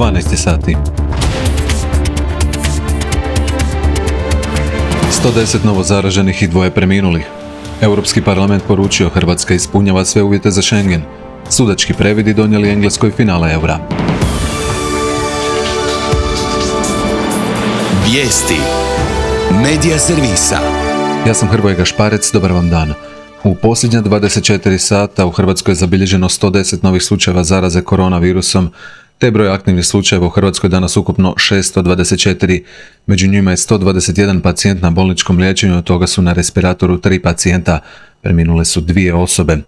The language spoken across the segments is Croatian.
12 sati. 110 novo zaraženih i 2 preminulih. Europski parlament poručio Hrvatska ispunjava sve uvjete za Schengen. Sudački previdi donijeli Engleskoj finale eura. Vijesti Medija servisa. Ja sam Hrvoje Gašparec, dobar vam dan. U posljednja 24 sata u Hrvatskoj je zabilježeno 110 novih slučajeva zaraze koronavirusom, te broj aktivnih slučajeva u Hrvatskoj danas ukupno 624. Među njima je 121 pacijent na bolničkom liječenju, od toga su na respiratoru 3 pacijenta, preminule su 2 osobe.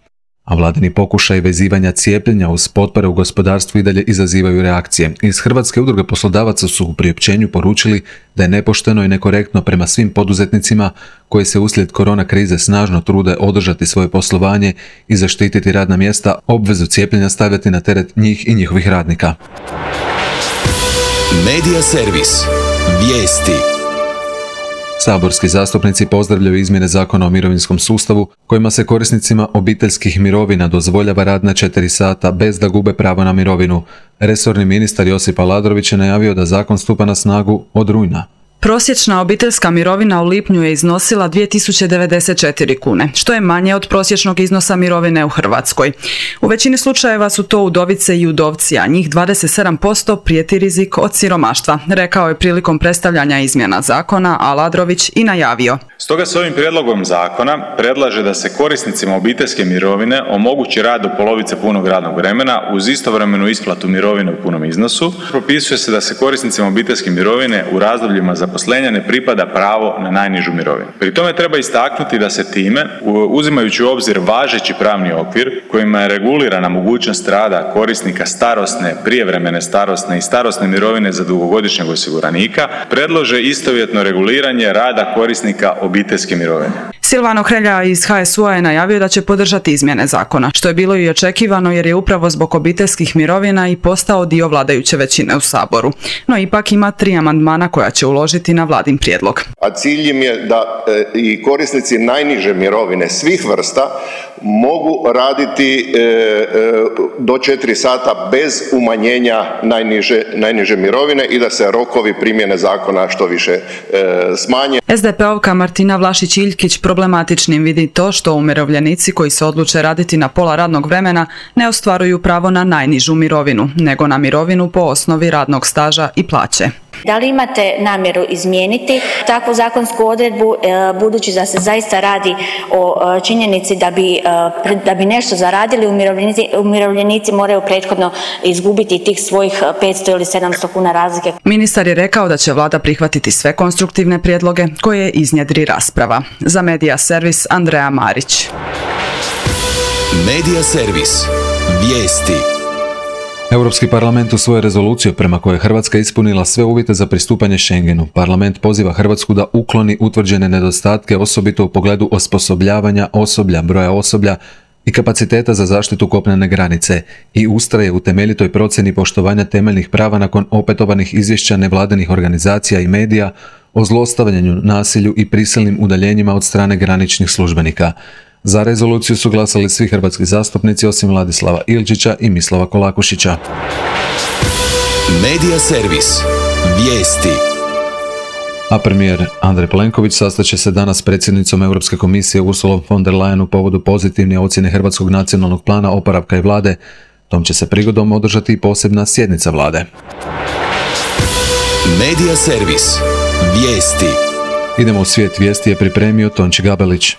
A vladini pokušaj vezivanja cijepljenja uz potpore u gospodarstvu i dalje izazivaju reakcije. Iz Hrvatske udruge poslodavaca su u priopćenju poručili da je nepošteno i nekorektno prema svim poduzetnicima koji se uslijed korona krize snažno trude održati svoje poslovanje i zaštititi radna mjesta, obvezu cijepljenja stavljati na teret njih i njihovih radnika. Medija servis. Vijesti. Saborski zastupnici pozdravljaju izmjene Zakona o mirovinskom sustavu kojima se korisnicima obiteljskih mirovina dozvoljava rad na 4 sata bez da gube pravo na mirovinu. Resorni ministar Josip Aladrović je najavio da zakon stupa na snagu od rujna. Prosječna obiteljska mirovina u lipnju je iznosila 2094 kune, što je manje od prosječnog iznosa mirovine u Hrvatskoj. U većini slučajeva su to udovice i udovci, a njih 27% prijeti rizik od siromaštva, rekao je prilikom predstavljanja izmjena zakona Aladrović i najavio. Stoga se ovim prijedlogom zakona predlaže da se korisnicima obiteljske mirovine omogući rad do polovice punog radnog vremena uz istovremenu isplatu mirovine u punom iznosu. Propisuje se da se korisnicima obiteljske mirovine u razdobljima zaposlenja ne pripada pravo na najnižu mirovinu. Pri tome treba istaknuti da se time, uzimajući u obzir važeći pravni okvir kojima je regulirana mogućnost rada korisnika starosne, prijevremene starosne i starosne mirovine za dugogodišnjeg osiguranika, predlože istovjetno reguliranje rada korisnika obiteljske mirovine. Silvano Hrelja iz HSU-a je najavio da će podržati izmjene zakona, što je bilo i očekivano jer je upravo zbog obiteljskih mirovina i postao dio vladajuće većine u Saboru. No ipak ima 3 amandmana koja će uložiti na vladin prijedlog. A cilj im je da i korisnici najniže mirovine svih vrsta mogu raditi do 4 sata bez umanjenja najniže mirovine i da se rokovi primjene zakona što više smanje. SDP-ovka Martina Vlašić-Iljkić problematičnim vidi to što umirovljenici koji se odluče raditi na pola radnog vremena ne ostvaruju pravo na najnižu mirovinu, nego na mirovinu po osnovi radnog staža i plaće. Da li imate namjeru izmijeniti takvu zakonsku odredbu, budući da se zaista radi o činjenici da bi nešto zaradili, umirovljenici moraju prethodno izgubiti tih svojih 500 ili 700 kuna razlike. Ministar je rekao da će vlada prihvatiti sve konstruktivne prijedloge koje iznjedri rasprava. Za Medija servis Andreja Marić. Medija servis. Vijesti. Europski parlament usvojio rezoluciju prema kojoj Hrvatska ispunila sve uvjete za pristupanje Schengenu. Parlament poziva Hrvatsku da ukloni utvrđene nedostatke, osobito u pogledu osposobljavanja osoblja, broja osoblja i kapaciteta za zaštitu kopnene granice i ustraje u temeljitoj procjeni poštovanja temeljnih prava nakon opetovanih izvješća nevladinih organizacija i medija o zlostavljanju, nasilju i prisilnim udaljenjima od strane graničnih službenika. Za rezoluciju su glasali svi hrvatski zastupnici osim Vladislava Ilčića i Mislava Kolakušića. Medija servis. Vijesti. A premijer Andrej Plenković sastaće se danas s predsjednicom Europske komisije Ursulom von der Leyen u povodu pozitivne ocjene Hrvatskog nacionalnog plana oporavka i vlade. Tom će se prigodom održati i posebna sjednica vlade. Medija servis. Vijesti. Idemo u svijet vijesti je pripremio Tonči Gabelić.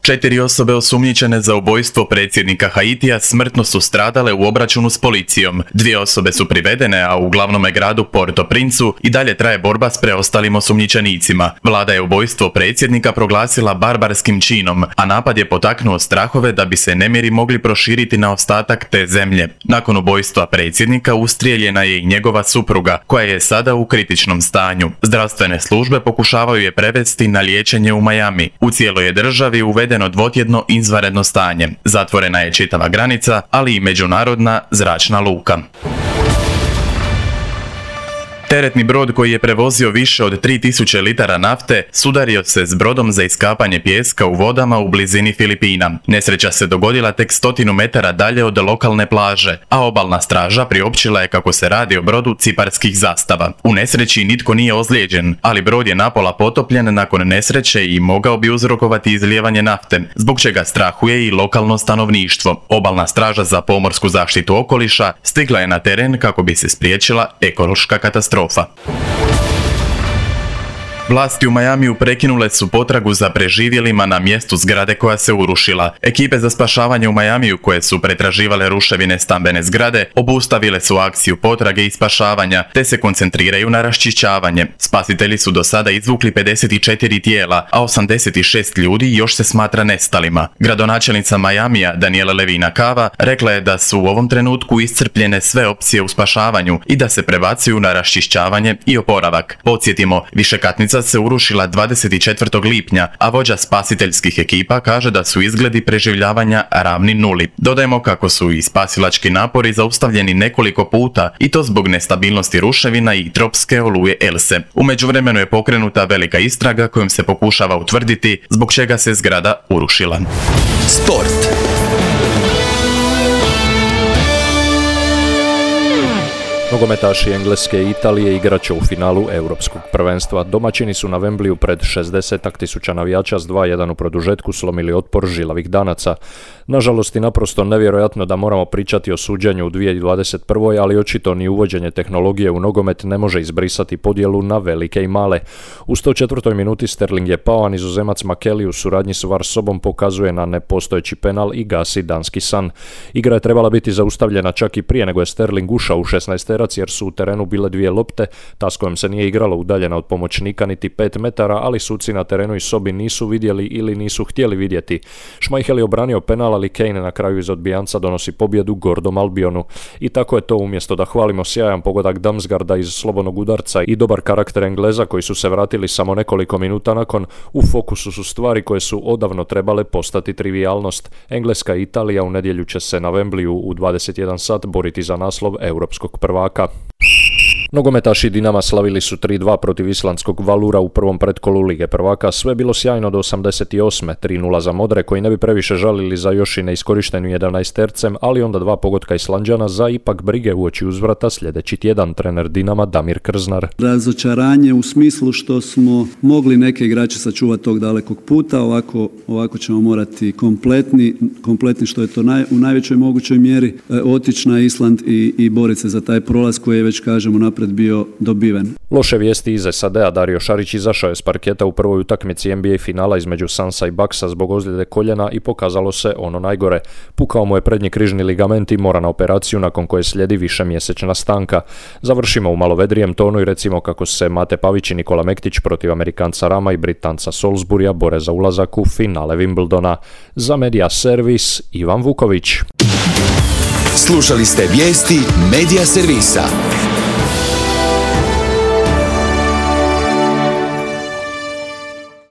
4 osobe osumnjičene za ubojstvo predsjednika Haitija smrtno su stradale u obračunu s policijom. 2 osobe su privedene, a u glavnome gradu Port-au-Princu i dalje traje borba s preostalim osumnjičenicima. Vlada je ubojstvo predsjednika proglasila barbarskim činom, a napad je potaknuo strahove da bi se nemiri mogli proširiti na ostatak te zemlje. Nakon ubojstva predsjednika ustrijeljena je i njegova supruga, koja je sada u kritičnom stanju. Zdravstvene službe pokušavaju je prevesti na liječenje u Miami. U cijeloj je državi uvedeno dvotjedno izvanredno stanje. Zatvorena je čitava granica, ali i međunarodna zračna luka. Teretni brod koji je prevozio više od 3000 litara nafte sudario se s brodom za iskapanje pijeska u vodama u blizini Filipina. Nesreća se dogodila tek 100 metara dalje od lokalne plaže, a obalna straža priopćila je kako se radi o brodu ciparskih zastava. U nesreći nitko nije ozlijeđen, ali brod je napola potopljen nakon nesreće i mogao bi uzrokovati izlijevanje nafte, zbog čega strahuje i lokalno stanovništvo. Obalna straža za pomorsku zaštitu okoliša stigla je na teren kako bi se spriječila ekološka katastrofa. Vlasti u Majamiju prekinule su potragu za preživjelima na mjestu zgrade koja se urušila. Ekipe za spašavanje u Majamiju koje su pretraživale ruševine stambene zgrade obustavile su akciju potrage i spašavanja te se koncentriraju na raščišćavanje. Spasitelji su do sada izvukli 54 tijela, a 86 ljudi još se smatra nestalima. Gradonačelnica Majamija Daniela Levina Cava rekla je da su u ovom trenutku iscrpljene sve opcije u spašavanju i da se prebacuju na raščišćavanje i oporavak. Podsjetimo, višekatnica se urušila 24. lipnja, a vođa spasiteljskih ekipa kaže da su izgledi preživljavanja ravni nuli. Dodajemo kako su i spasilački napori zaustavljeni nekoliko puta i to zbog nestabilnosti ruševina i tropske oluje Else. U međuvremenu je pokrenuta velika istraga kojom se pokušava utvrditi zbog čega se zgrada urušila. Sport. Nogometaši Engleske i Italije igrat će u finalu Europskog prvenstva. Domaćini su na Wembleyu pred 60.000 navijača s 2:1 u produžetku slomili otpor žilavih Danaca. Nažalost i naprosto nevjerojatno da moramo pričati o suđenju u 2021. ali očito ni uvođenje tehnologije u nogomet ne može izbrisati podjelu na velike i male. U 104. minuti Sterling je pao, a Nizozemac Makeli u suradnji s VAR sobom pokazuje na nepostojeći penal i gasi danski san. Igra je trebala biti zaustavljena čak i prije nego je Sterling ušao u 16 jer su u terenu bile dvije lopte, ta s kojom se nije igralo udaljena od pomoćnika niti 5 metara, ali suci na terenu i sobi nisu vidjeli ili nisu htjeli vidjeti. Schmeichel je obranio penal, ali Kane na kraju iz odbijanca donosi pobjedu gordom Albionu. I tako je to, umjesto da hvalimo sjajan pogodak Damsgaarda iz slobodnog udarca i dobar karakter Engleza koji su se vratili samo nekoliko minuta nakon, u fokusu su stvari koje su odavno trebale postati trivijalnost. Engleska i Italija u nedjelju će se na Wembleyu u 21 sat boriti za naslov europskog prvaka. Nogometaši Dinama slavili su 3:2 protiv islandskog Valura u prvom pretkolu Lige prvaka. Sve bilo sjajno do 88. 3:0 za Modre koji ne bi previše žalili za još i neiskorištenu 11-tercem, ali onda 2 pogotka Islanđana za ipak brige uoči uzvrata sljedeći tjedan. Trener Dinama Damir Krznar. Razočaranje u smislu što smo mogli neke igrače sačuvati tog dalekog puta, ovako ćemo morati kompletni što je to u najvećoj mogućoj mjeri otići na Island i boriti se za taj prolaz koji je već kažemo napred bio dobiven. Loše vijesti iz SAD-a. Dario Šarić izašao je s parketa u prvoj utakmici NBA finala između Sunsa i Bucksa zbog ozljede koljena i pokazalo se ono najgore. Pukao mu je prednji križni ligament i mora na operaciju nakon koje slijedi višemjesečna stanka. Završimo u malo vedrijem tonu i recimo kako se Mate Pavić i Nikola Mektić protiv Amerikanca Rama i Britanca Salisburya bore za ulazak u finale Wimbledona. Za Media Servis Ivan Vuković. Slušali ste vijesti Media Servisa.